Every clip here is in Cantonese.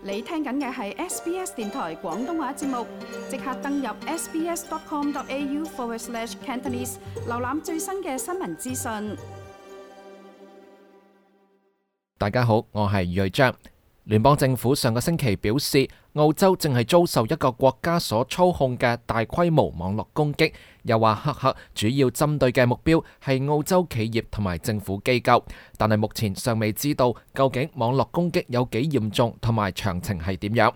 你聽緊嘅係 SBS 電台廣東話節目，即刻登入 sbs.com.au/Cantonese 瀏覽最新嘅新聞資訊。大家好，我係余瑞章。聯邦政府上個星期表示，澳洲正係遭受一個國家所操控嘅大規模網絡攻擊，又話黑客主要針對嘅目標係澳洲企業同埋政府機構，但係目前尚未知道究竟網絡攻擊有幾嚴重同埋詳情係點樣。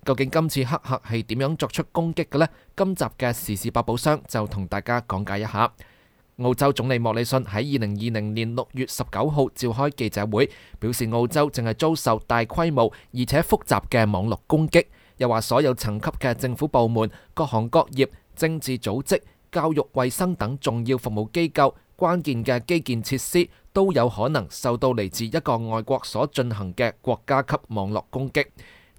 究竟今次黑客係點樣作出攻擊嘅呢？今集嘅時事百寶箱就同大家講解一下。澳洲總理莫里遜喺2020年6月19號召開記者會，表示澳洲正係遭受大規模而且複雜嘅網絡攻擊，又話所有層級嘅政府部門、各行各業、政治組織、教育衛生等重要服務機構、關鍵嘅基建設施都有可能受到嚟自一個外國所進行嘅國家級網絡攻擊。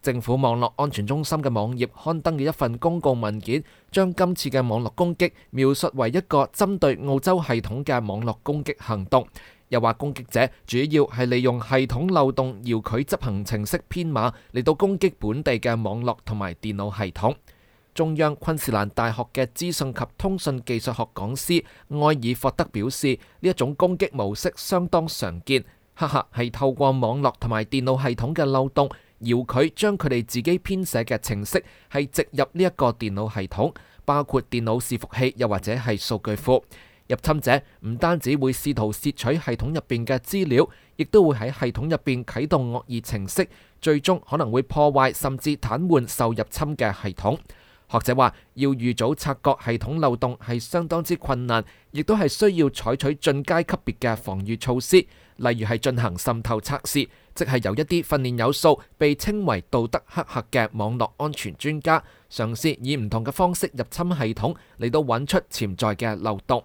政府網絡安全中心嘅網頁刊登嘅一份公告文件，將今次嘅網絡攻擊描述為一個針對澳洲系統嘅網絡攻擊行動，又話攻擊者主要係利用系統漏洞遙距執行程式編碼嚟到攻擊本地嘅網絡同埋電腦系統。中央昆士蘭大學嘅資訊及通訊技術學講師埃爾霍德表示，呢一種攻擊模式相當常見，黑客係透過網絡同埋電腦系統嘅漏洞，遙距將佢哋自己編寫嘅程式係植入呢一個電腦系統，包括電腦伺服器又或者係數據庫。入侵者唔單止會試圖竊取系統入邊嘅資料，亦都會喺系統入邊啟動惡意程式，最終可能會破壞甚至癱瘓受入侵嘅系統。學者話，要預早察覺系統漏洞係相當之困難，亦都係需要採取進階級別嘅防禦措施，例如係進行滲透測試，即係由一啲訓練有素、被稱為道德黑客嘅網絡安全專家，嘗試以唔同嘅方式入侵系統，嚟到揾出潛在嘅漏洞。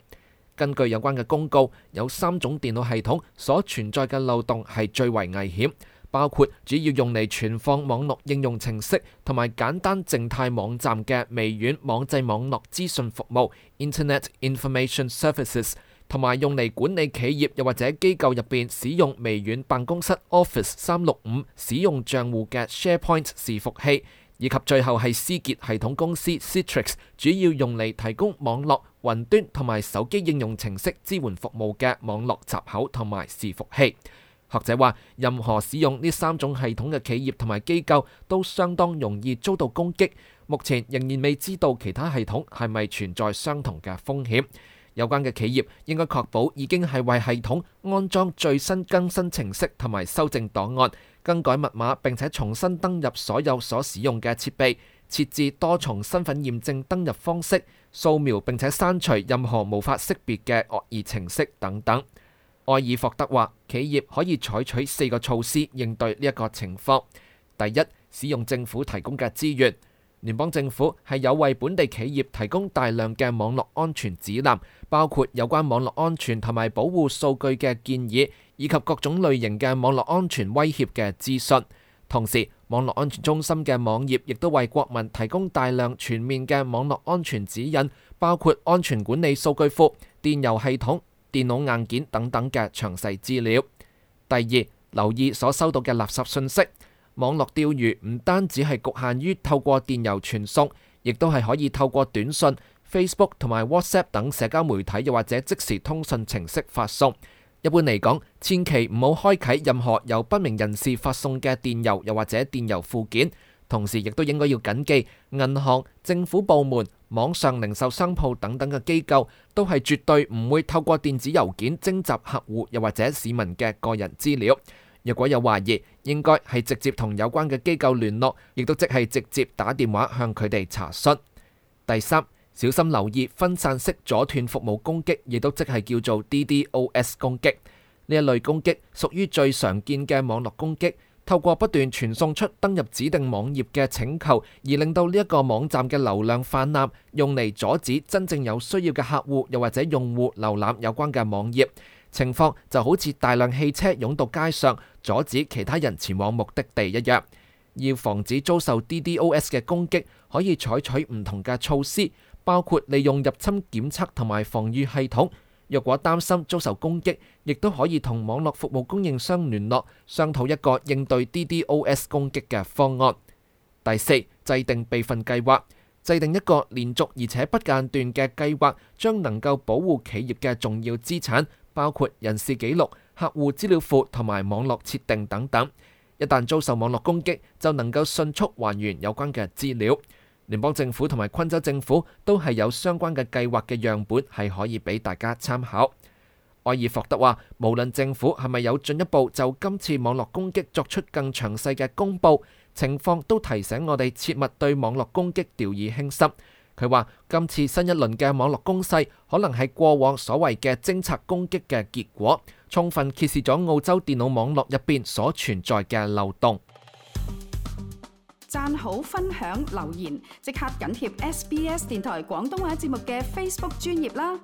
根據有關嘅公告，有3種電腦系統所存在嘅漏洞係最為危險，包括主要用嚟存放網絡應用程式同埋簡單靜態網站嘅微軟網際網絡資訊服務 Internet Information Services， 同埋用嚟管理企業又或者機構入邊使用微軟辦公室 Office 365使用賬戶嘅 SharePoint 伺服器，以及最後係思傑系統公司 Citrix 主要用嚟提供網絡、雲端同埋手機應用程式支援服務嘅網絡閘口同埋伺服器。學者話，任何使用呢3種系統嘅企業同埋機構都相當容易遭到攻擊。目前仍然未知道其他系統係咪存在相同嘅風險。有關嘅企業應該確保已經係為系統安裝最新更新程式同埋修正檔案，更改密碼，並且重新登入所有所使用嘅設備，設置多重身份驗證登入方式，掃描並且刪除任何無法識別嘅惡意程式等等。埃爾霍德話，企業可以採取4個措施應對呢一個情況。第一，使用政府提供嘅資源。聯邦政府係有為本地企業提供大量嘅網絡安全指南，包括有關網絡安全同埋保護數據嘅建議，以及各種類型嘅網絡安全威脅嘅資訊。同時，網絡安全中心嘅網頁亦都為國民提供大量全面嘅網絡安全指引，包括安全管理數據庫、電郵系統、電腦硬件等等嘅詳細資料。第二，留意所收到嘅垃圾信息。網絡釣魚唔單止係局限於透過電郵傳送，亦都係可以透過短信、Facebook 同埋 WhatsApp 等社交媒體又或者即時通訊程式發送。一般嚟講，千祈唔好開啟任何由不明人士發送嘅電郵又或者電郵附件。同時亦都應該要謹記，銀行、政府部門、網上零售商鋪等等嘅機構都係絕對唔會透過電子郵件徵集客戶又或者市民嘅個人資料。若果有懷疑，應該係直接同有關嘅機構聯絡，亦都即係直接打電話向佢哋查詢。第三，小心留意分散式阻斷服務攻擊，亦都即係叫做 DDoS 攻擊。呢一類攻擊屬於最常見嘅網絡攻擊，透過不斷傳送出登入指定網頁嘅請求，而令到呢一個網站嘅流量泛濫，用嚟阻止真正有需要嘅客戶又或者用戶瀏覽有關嘅網頁。情況就好似大量汽車湧到街上，阻止其他人前往目的地一樣。要防止遭受 DDoS 嘅攻擊，可以採取唔同嘅措施，包括利用入侵檢測同埋防禦系統，若果擔心遭受攻擊，亦都可以同網絡服務供應商聯絡，商討一個應對 DDoS 攻擊嘅方案。第四，制定備份計劃，制定一個連續而且不間斷嘅計劃，將能夠保護企業嘅重要資產，包括人事紀錄、客戶資料庫同埋網絡設定等等。一旦遭受網絡攻擊，就能夠迅速還原有關嘅資料。聯邦政府同埋昆州政府都係有相關嘅計劃嘅樣本，係可以俾大家參考。埃爾霍德話，無論政府係咪有進一步就今次網絡攻擊作出更詳細嘅公佈，情況都提醒我哋切勿對網絡攻擊掉以輕心。佢話，今次新一輪嘅網絡攻勢可能係過往所謂嘅偵察攻擊嘅結果，充分揭示咗澳洲電腦網絡入邊所存在嘅漏洞。讚好、分享、留言，即刻緊貼SBS 電台廣東話節目嘅 Facebook 專頁啦！